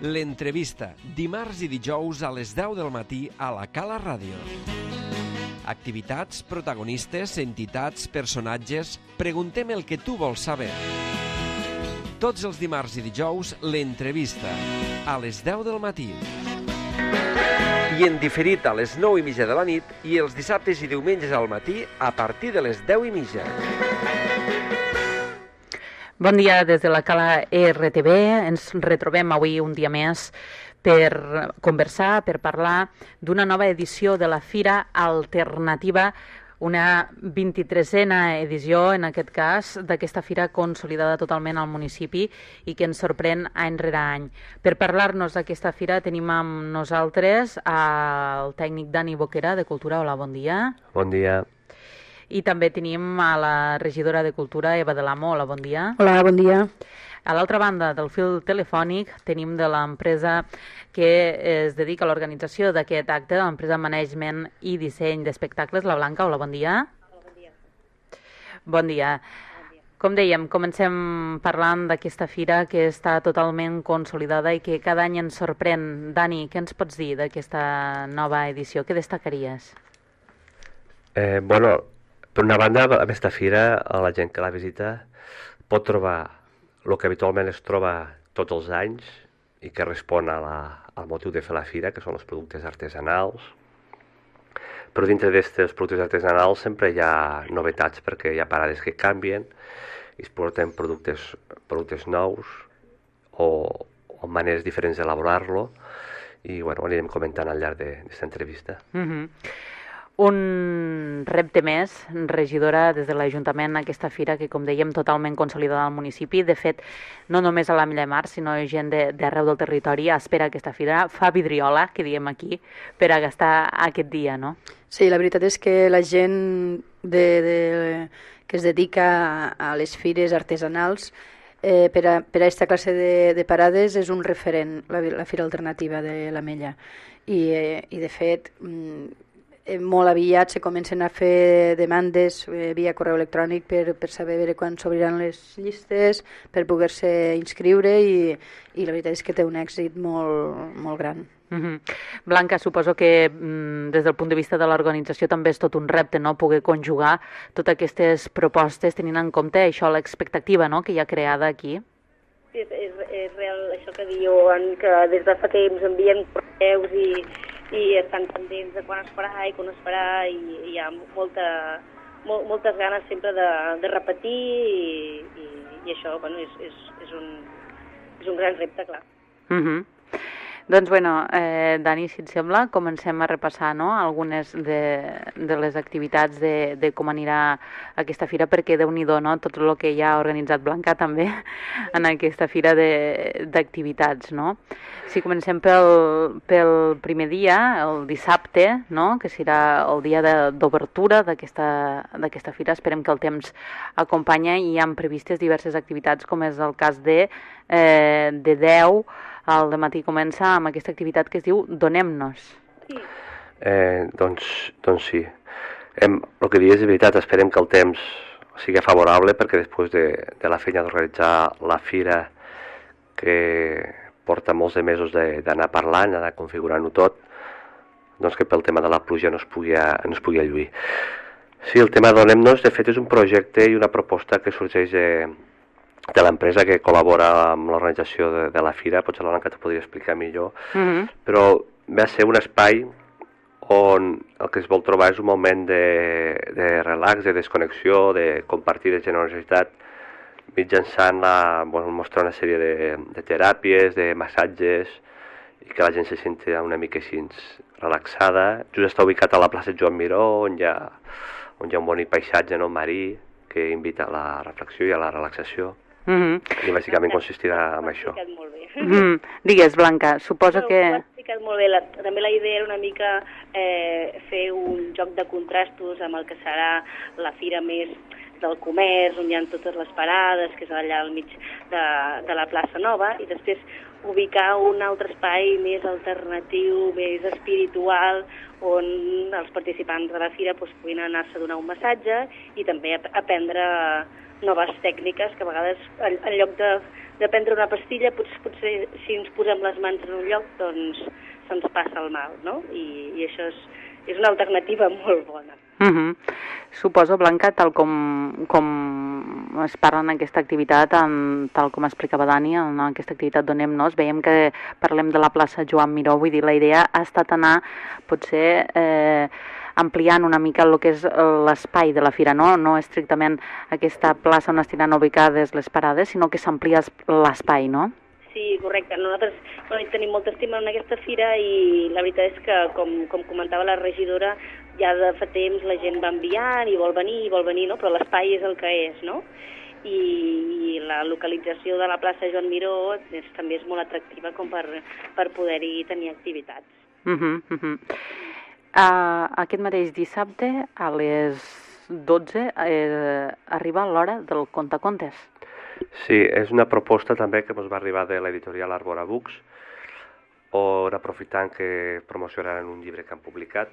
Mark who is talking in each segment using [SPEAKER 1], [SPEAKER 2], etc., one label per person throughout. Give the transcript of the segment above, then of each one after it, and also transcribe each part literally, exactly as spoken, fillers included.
[SPEAKER 1] L'entrevista, dimarts i dijous a les deu del matí a la Cala Ràdio. Activitats, protagonistes, entitats, personatges... Preguntem el que tu vols saber. Tots els dimarts i dijous, l'entrevista, a les deu del matí. I en diferit a les nou i mitja de la nit i els dissabtes i diumenges al matí a partir de les deu i mitja.
[SPEAKER 2] Bon dia des de la Cala R T B. Ens retrobem avui un dia més per conversar, per parlar d'una nova edició de la Fira Alternativa, una vint-i-tresena edició, en aquest cas, d'aquesta fira consolidada totalment al municipi i que ens sorprèn any rere any. Per parlar-nos d'aquesta fira tenim amb nosaltres el tècnic Dani Boquera, de Cultura. Hola, bon dia.
[SPEAKER 3] Bon dia.
[SPEAKER 2] I també tenim a la regidora de Cultura, Eva de l'Amo. Hola, bon dia.
[SPEAKER 4] Hola, bon dia.
[SPEAKER 2] A l'altra banda del fil telefònic tenim de l'empresa que es dedica a l'organització d'aquest acte, l'empresa Management i Disseny d'Espectacles, la Blanca. Hola, bon dia.
[SPEAKER 5] Hola, bon dia.
[SPEAKER 2] Bon dia.
[SPEAKER 5] Bon dia.
[SPEAKER 2] Com dèiem, comencem parlant d'aquesta fira que està totalment consolidada i que cada any ens sorprèn. Dani, què ens pots dir d'aquesta nova edició? Què destacaries?
[SPEAKER 3] Eh, bueno, per una banda, aquesta fira, la gent que la visita pot trobar el que habitualment es troba tots els anys i que respon a la, al motiu de fer la fira, que són els productes artesanals. Però dintre d'aquests productes artesanals sempre hi ha novetats perquè hi ha parades que canvien i es porten productes, productes nous o, o maneres diferents d'elaborar-lo i bueno, anirem comentant al llarg d'aquesta entrevista.
[SPEAKER 2] Mm-hmm. Un repte més, regidora, des de l'Ajuntament, aquesta fira que, com dèiem, totalment consolidada al municipi. De fet, no només a l'Ametlla de Mar, sinó gent d'arreu del territori espera aquesta fira, fa vidriola, que diem aquí, per a gastar aquest dia, no?
[SPEAKER 4] Sí, la veritat és que la gent de, de, que es dedica a les fires artesanals eh, per, a, per a aquesta classe de, de parades és un referent, la, la Fira Alternativa de l'Ametlla. I, eh, i de fet... molt aviat se comencen a fer demandes eh, via correu electrònic per, per saber veure quan s'obriran les llistes, per poder-se inscriure i, i la veritat és que té un èxit molt, molt gran.
[SPEAKER 2] Mm-hmm. Blanca, suposo que mm, des del punt de vista de l'organització també és tot un repte, no?, poder conjugar totes aquestes propostes tenint en compte això, l'expectativa, no?, que hi ha creada aquí.
[SPEAKER 5] Sí, és, és, és real això que diuen, que des de fa temps envien correus i i estan pendents de quan es farà i quan es farà i, i hi ha molta, mol, moltes ganes sempre de, de repetir i, i, i això bueno, és, és, és, un, és un gran repte, clar.
[SPEAKER 2] Mm-hmm. Doncs, bueno, eh, Dani, si et sembla, comencem a repassar, no?, algunes de, de les activitats de, de com anirà aquesta fira, perquè déu-n'hi-do, no?, tot el que ja ha organitzat Blanca també en aquesta fira d'activitats, no? Si comencem pel, pel primer dia, el dissabte, no?, que serà el dia d'obertura d'aquesta fira, esperem que el temps acompanya i hi ha previstes diverses activitats, com és el cas de, eh, de deu, al dematí comença amb aquesta activitat que es diu Donem-nos.
[SPEAKER 5] Sí.
[SPEAKER 3] Eh, doncs, doncs sí. Hem, el que dius és veritat, esperem que el temps sigui favorable perquè després de, de la feina d'organitzar la fira que porta molts de mesos d'anar parlant, d'anar configurant-ho tot, doncs que pel tema de la pluja no es pugui, no es pugui lluir. Sí, el tema Donem-nos, de fet, és un projecte i una proposta que sorgeix de, de l'empresa que col·labora amb l'organització de, de la fira, potser la Blanca t'ho podria explicar millor, mm-hmm. però ve a ser un espai on el que es vol trobar és un moment de, de relax, de desconnexió, de compartir de generositat, mitjançant la, bueno, mostrar una sèrie de, de teràpies, de massatges, i que la gent se senti una mica així relaxada. Just està ubicat a la plaça Joan Miró, on hi ha, on hi ha un bonic paisatge, no, marí, que invita a la reflexió i a la relaxació. Mm-hmm. I bàsicament consistirà en això.
[SPEAKER 5] Ho has explicat molt bé.
[SPEAKER 2] Mm-hmm. Digues, Blanca, suposo
[SPEAKER 5] no,
[SPEAKER 2] que...
[SPEAKER 5] Ho has explicat molt bé. La, també la idea era una mica eh, fer un joc de contrastos amb el que serà la fira més del comerç, on hi ha totes les parades, que és allà al mig de, de la plaça Nova, i després ubicar un altre espai més alternatiu, més espiritual, on els participants de la fira doncs, puguin anar-se a donar un massatge i també aprendre noves tècniques que a vegades en lloc de de prendre una pastilla, potser, potser si ens posem les mans en un lloc, doncs se'ns passa el mal, no? I, i això és, és una alternativa molt bona.
[SPEAKER 2] Uh -huh. Suposo, Blanca, tal com, com es parla en aquesta activitat, en, tal com explicava Dani, en aquesta activitat Donem-nos, veiem que parlem de la plaça Joan Miró, vull dir, la idea ha estat anar, potser, eh, ampliant una mica el que és l'espai de la fira, no? No estrictament aquesta plaça on estan ubicades les parades, sinó que s'amplia l'espai, no?
[SPEAKER 5] Sí, correcte. Nosaltres bueno, tenim molta estima en aquesta fira i la veritat és que, com, com comentava la regidora, ja de fa temps la gent va enviant i vol venir, i vol venir, no? Però l'espai és el que és, no? I, i la localització de la plaça Joan Miró és, també és molt atractiva com per, per poder-hi tenir activitats.
[SPEAKER 2] Uh -huh, uh -huh. Uh, aquest mateix dissabte, a les dotze, eh, arriba l'hora del contacontes.
[SPEAKER 3] Sí, és una proposta també que ens va arribar de l'editorial Arbora Books, on aprofitant que promocionaran un llibre que han publicat,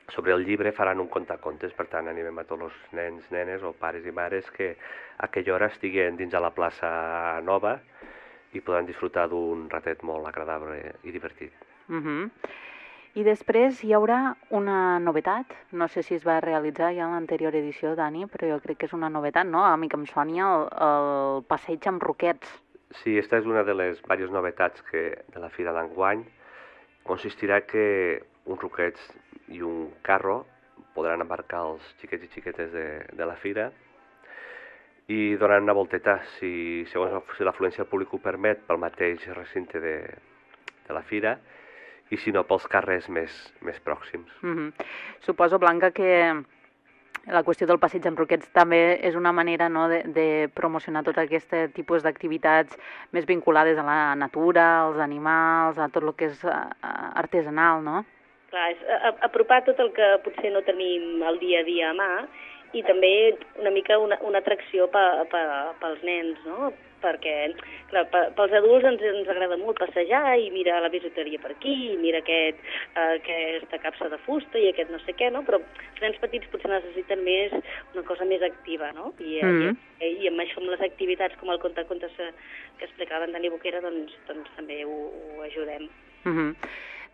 [SPEAKER 3] sobre el llibre faran un contacontes, per tant animem a tots els nens, nenes o pares i mares que a aquella hora estiguen dins de la plaça nova i podran disfrutar d'un ratet molt agradable i divertit.
[SPEAKER 2] Uh -huh. I després hi haurà una novetat, no sé si es va realitzar ja en l'anterior edició, Dani, però jo crec que és una novetat, no? A mi que em soni el, el passeig amb roquets.
[SPEAKER 3] Sí, aquesta és una de les diverses novetats que, de la fira d'enguany. Consistirà que uns roquets i un carro podran embarcar els xiquets i xiquetes de, de la fira i donaran una volteta, si, segons si l'afluència del públic ho permet, pel mateix recinte de, de la fira, i si no pels carrers més, més pròxims.
[SPEAKER 2] Mm-hmm. Suposo, Blanca, que la qüestió del passeig amb roquets també és una manera, no, de, de promocionar tot aquest tipus d'activitats més vinculades a la natura, als animals, a tot el que és artesanal, no?
[SPEAKER 5] Clar, és apropar tot el que potser no tenim el dia a dia a mà i també una mica una, una atracció pe, pe, pels nens, no? Perquè, clar, pels adults ens, ens agrada molt passejar i mirar la bisuteria per aquí, i mira aquest, eh, aquesta capsa de fusta i aquest no sé què, no? Però els nens petits potser necessiten més una cosa més activa, no? I, mm. i, i amb això, amb les activitats com el contacontes que explicava en Dani Boquera, doncs, doncs també ho, ho ajudem.
[SPEAKER 2] Mm-hmm.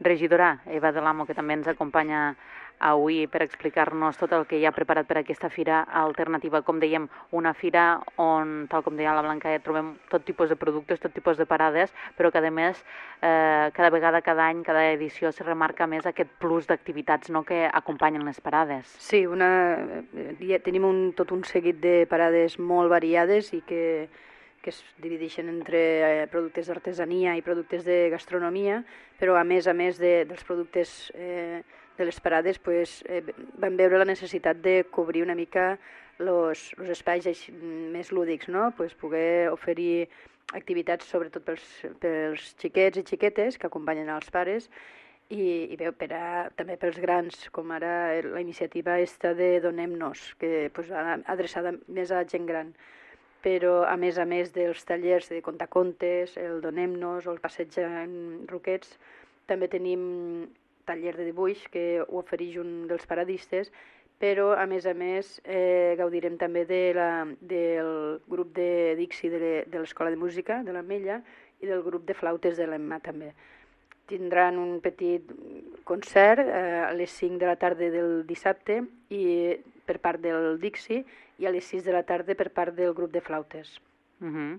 [SPEAKER 2] Regidora Eva de l'Amo, que també ens acompanya avui per explicar-nos tot el que hi ha preparat per aquesta fira alternativa. Com dèiem, una fira on, tal com deia la Blanca, trobem tot tipus de productes, tot tipus de parades, però que a més, eh, cada vegada, cada any, cada edició se remarca més aquest plus d'activitats, no?, que acompanyen les parades.
[SPEAKER 4] Sí, una, ja tenim un, tot un seguit de parades molt variades i que que es divideixen entre eh, productes d'artesania i productes de gastronomia, però a més a més de, dels productes eh, de les parades pues, eh, vam veure la necessitat de cobrir una mica els espais més lúdics, no? Pues poder oferir activitats sobretot pels, pels xiquets i xiquetes que acompanyen els pares i, i bé, per a, també pels grans, com ara la iniciativa esta de Donem-nos, que pues, adreçada més a gent gran. Però a més a més dels tallers de contacontes, el Donem-nos o el passeig en roquets, també tenim taller de dibuix que ho ofereix un dels paradistes, però a més a més eh, gaudirem també de la, del grup de Dixi de, de l'Escola de Música de l'Ametlla i del grup de flautes de l'Emma també. Tindran un petit concert eh, a les cinc de la tarda del dissabte i per part del Dixi i a les sis de la tarda per part del grup de flautes.
[SPEAKER 2] Uh-huh.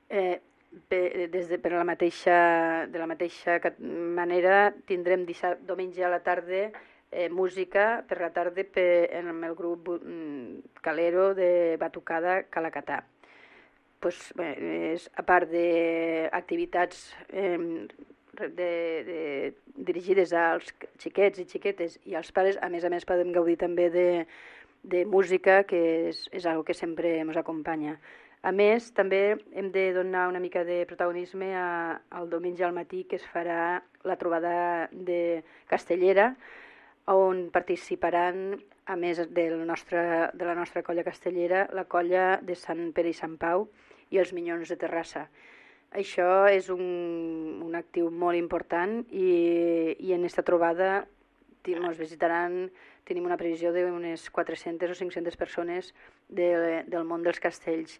[SPEAKER 4] eh, per, des de, per la mateixa, de la mateixa manera tindrem dissabte, diumenge a la tarda eh, música per la tarda per, amb el grup mm, Calero de Batucada Calacatà. Pues, bé, és, a part d'activitats eh, de, de, dirigides als xiquets i xiquetes i als pares, a més a més podem gaudir també de de música, que és, és algo que sempre ens acompanya. A més, també hem de donar una mica de protagonisme a, al diumenge al matí, que es farà la trobada de Castellera, on participaran, a més del nostre, de la nostra colla castellera, la colla de Sant Pere i Sant Pau i els Minyons de Terrassa. Això és un, un actiu molt important i, i en aquesta trobada ens visitaran, tenim una previsió d'unes quatre-centes o cinc-centes persones de, del món dels castells.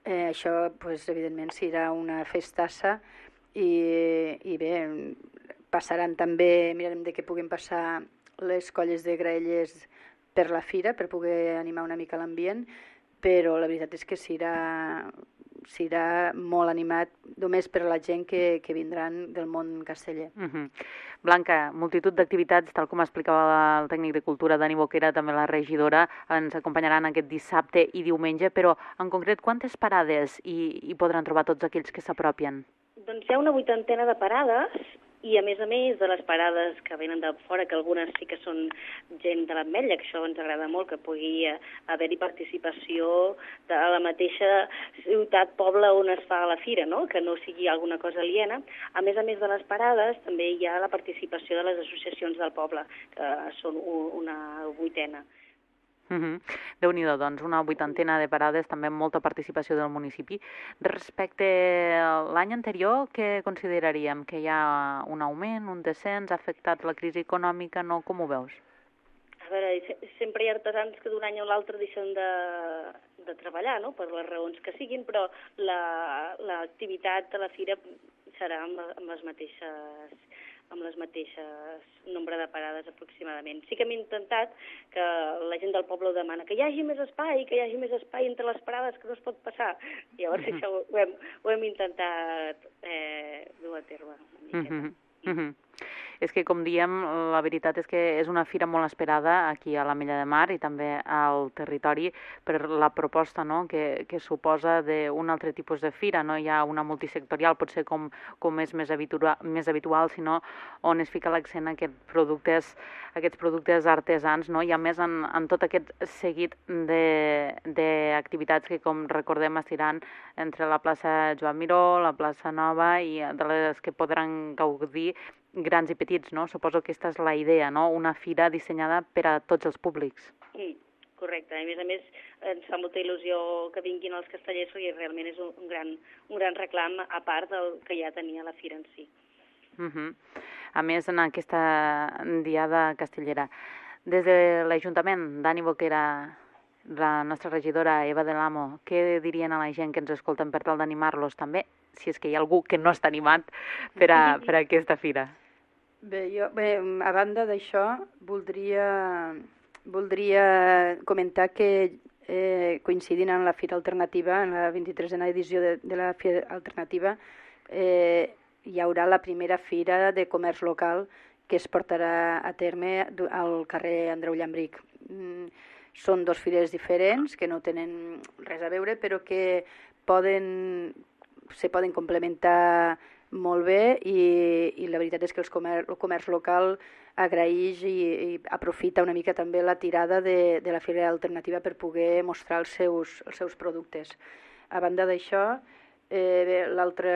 [SPEAKER 4] Eh, això, pues, evidentment, serà una festassa i, i bé, passaran també, mirarem de què puguem passar les colles de graelles per la fira, per poder animar una mica l'ambient, però la veritat és que serà, serà molt animat només per la gent que, que vindran del món casteller.
[SPEAKER 2] Uh-huh. Blanca, multitud d'activitats, tal com explicava el tècnic de cultura Dani Boquera, també la regidora, ens acompanyaran aquest dissabte i diumenge, però en concret quantes parades hi, hi podran trobar tots aquells que s'apropien?
[SPEAKER 5] Doncs hi ha una vuitantena de parades i, a més a més, de les parades que venen de fora, que algunes sí que són gent de l'Ametlla, que això ens agrada molt, que pugui haver-hi participació de la mateixa ciutat, poble on es fa la fira, no? Que no sigui alguna cosa aliena. A més a més de les parades, també hi ha la participació de les associacions del poble, que són una vuitena.
[SPEAKER 2] Uh-huh. Déu-n'hi-do, doncs, una vuitantena de parades, també amb molta participació del municipi. Respecte a l'any anterior, què consideraríem? Que hi ha un augment, un descens, ha afectat la crisi econòmica, no? Com ho veus?
[SPEAKER 5] A veure, sempre hi ha artesans que d'un any a l'altre deixen de, de treballar, no?, per les raons que siguin, però l'activitat de la fira serà amb, amb les mateixes amb les mateixes nombre de parades aproximadament. Sí que hem intentat que la gent del poble ho demana, que hi hagi més espai, que hi hagi més espai entre les parades, que no es pot passar. Llavors mm-hmm. això ho, ho, hem, ho hem intentat eh, dur a terme una miqueta.
[SPEAKER 2] Mm-hmm. Mm-hmm. És que, com diem, la veritat és que és una fira molt esperada aquí a l'Ametlla de Mar i també al territori per la proposta, no?, que, que suposa d'un altre tipus de fira. No hi ha una multisectorial, potser com, com és més habitual, més habitual, sinó on es fica l'accent a aquests productes, aquests productes artesans, no? I a més en, en tot aquest seguit d'activitats que, com recordem, es tiran entre la plaça Joan Miró, la plaça Nova, i de les que podran gaudir grans i petits, no? Suposo que aquesta és la idea, no? Una fira dissenyada per a tots els públics.
[SPEAKER 5] Sí, correcte. A més a més, ens fa molta il·lusió que vinguin els castellers, perquè realment és un gran, un gran reclam, a part del que ja tenia la fira en si.
[SPEAKER 2] Uh-huh. A més, en aquesta diada castellera, des de l'Ajuntament, Dani Boquera, la nostra regidora Eva de l'Amo, què dirien a la gent que ens escolten per tal d'animar-los també, si és que hi ha algú que no està animat per a, per a aquesta fira?
[SPEAKER 4] Bé, jo, bé, a banda d'això, voldria, voldria comentar que eh, coincidint amb la Fira Alternativa, en la vint-i-tresena edició de, de la Fira Alternativa, eh, hi haurà la primera fira de comerç local que es portarà a terme al carrer Andreu Llambric. Mm, són dos fires diferents que no tenen res a veure, però que poden, se poden complementar molt bé i, i la veritat és que els comer, el comerç local agraeix i, i aprofita una mica també la tirada de, de la Fira Alternativa per poder mostrar els seus, els seus productes. A banda d'això, eh, l'altre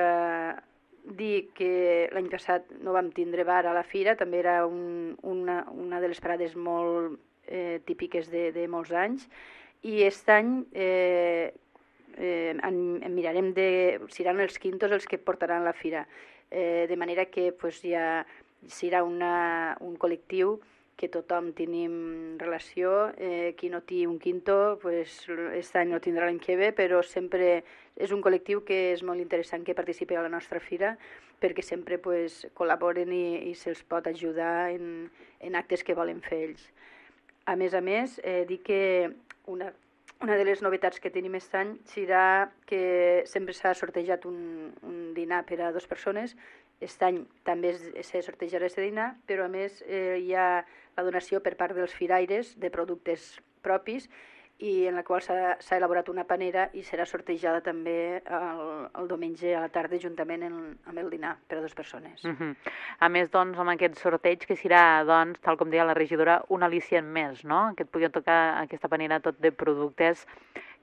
[SPEAKER 4] dir que l'any passat no vam tindre bar a la fira, també era un, una, una de les parades molt eh, típiques de, de molts anys, i aquest any eh, eh, en, en mirarem de... seran els quintos els que portaran la fira, eh, de manera que pues, ja serà una, un col·lectiu que tothom tenim relació, eh, qui no té un quinto, pues, aquest any no tindrà l'any que ve, però sempre és un col·lectiu que és molt interessant que participi a la nostra fira, perquè sempre pues, col·laboren i, i se'ls pot ajudar en, en actes que volen fer ells. A més a més, eh, dic que una, una de les novetats que tenim aquest any serà que sempre s'ha sortejat un, un dinar per a dues persones. Aquest any també se sortejarà aquest dinar, però a més eh, hi ha la donació per part dels firaires de productes propis i en la qual s'ha elaborat una panera i serà sortejada també el, el diumenge a la tarda juntament en, amb el dinar per a dues persones.
[SPEAKER 2] Uh-huh. A més, doncs, amb aquest sorteig que serà, doncs, tal com deia la regidora, un al·licient més, no? Que et puguin tocar aquesta panera tot de productes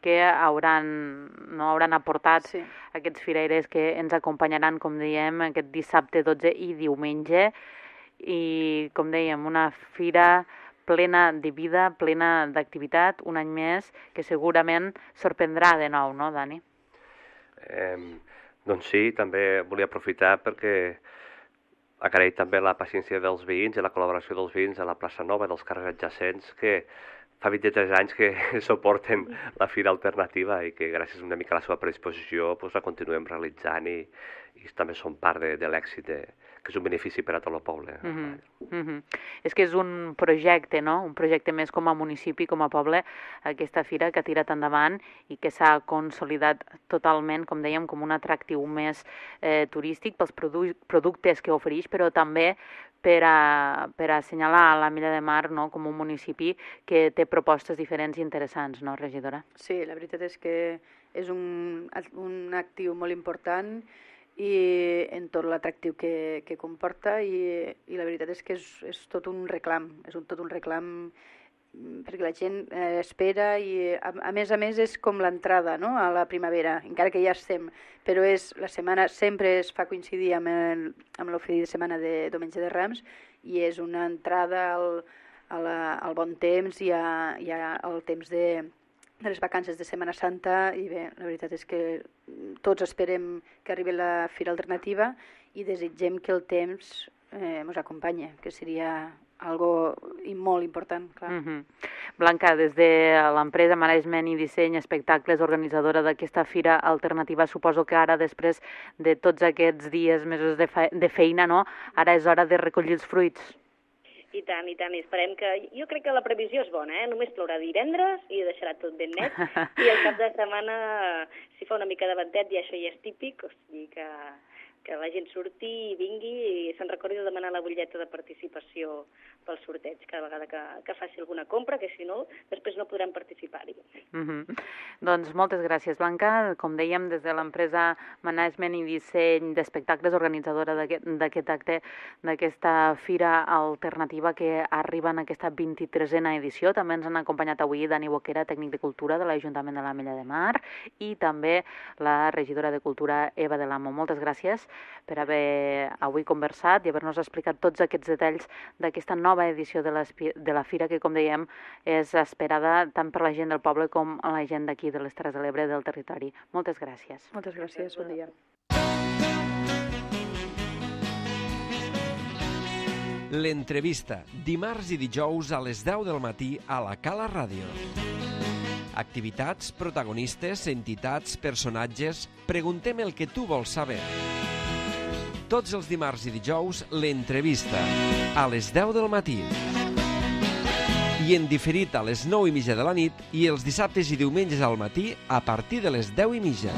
[SPEAKER 2] que hauran, no, hauran aportat sí. Aquests firaires que ens acompanyaran, com dèiem, aquest dissabte dotze i diumenge. I, com dèiem, una fira plena de vida, plena d'activitat, un any més, que segurament sorprendrà de nou, no, Dani?
[SPEAKER 3] Eh, doncs sí, també volia aprofitar perquè agrair també la paciència dels veïns i la col·laboració dels veïns a la plaça Nova, dels carrers adjacents, que fa vint-i-tres anys que suporten la Fira Alternativa i que gràcies una mica a la seva predisposició pues, la continuem realitzant i, i també són part de, de l'èxit, de, que és un benefici per a tot el poble.
[SPEAKER 2] Mm-hmm. Mm-hmm. És que és un projecte, no? Un projecte més com a municipi, com a poble, aquesta fira que ha tirat endavant i que s'ha consolidat totalment, com dèiem, com un atractiu més eh, turístic pels produ productes que ofereix, però també per a, per a assenyalar la Milla de Mar, no? Com un municipi que té propostes diferents i interessants, no, regidora?
[SPEAKER 4] Sí, la veritat és que és un, un actiu molt important i en tot l'atractiu que, que comporta i, i la veritat és que és, és tot un reclam, és un, tot un reclam perquè la gent eh, espera i a, a més a més és com l'entrada, no? A la primavera, encara que ja estem, però és, la setmana sempre es fa coincidir amb, el, amb l'oferir de setmana de Diumenge de Rams i és una entrada al, a la, al bon temps i, a, i a, al temps de, de les vacances de Setmana Santa i bé, la veritat és que tots esperem que arribi la Fira Alternativa i desitgem que el temps eh, ens acompanyi, que seria algo i molt important, clar.
[SPEAKER 2] Mm-hmm. Blanca, des de l'empresa Management i Disseny Espectacles, organitzadora d'aquesta Fira Alternativa, suposo que ara, després de tots aquests dies, mesos de, fe de feina, no? Ara és hora de recollir els fruits.
[SPEAKER 5] I tant, i tant, i esperem que... Jo crec que la previsió és bona, eh? Només plourà divendres i deixarà tot ben net, i el cap de setmana, si fa una mica de ventet, i això ja és típic, o sigui que... que la gent surti i vingui i se'n recordi de demanar la butlleta de participació pel sorteig cada vegada que, que faci alguna compra, que si no, després no podran participar-hi.
[SPEAKER 2] Mm-hmm. Doncs moltes gràcies, Blanca. Com dèiem, des de l'empresa Management i Disseny d'Espectacles, organitzadora d'aquest acte, d'aquesta Fira Alternativa que arriba en aquesta vint-i-tresena edició. També ens han acompanyat avui Dani Boquera, tècnic de Cultura de l'Ajuntament de la Milla de Mar, i també la regidora de Cultura, Eva de l'Amo. Moltes gràcies per haver avui conversat i haver-nos explicat tots aquests detalls d'aquesta nova edició de, de la Fira que, com dèiem, és esperada tant per la gent del poble com la gent d'aquí, de les Terres de l'Ebre, del territori. Moltes gràcies.
[SPEAKER 4] Moltes gràcies, bon dia.
[SPEAKER 1] L'entrevista, dimarts i dijous a les deu del matí a la Cala Ràdio. Activitats, protagonistes, entitats, personatges... Preguntem el que tu vols saber. Tots els dimarts i dijous, l'entrevista, a les deu del matí. I en diferit a les nou i mitja de la nit i els dissabtes i diumenges al matí a partir de les deu i mitja.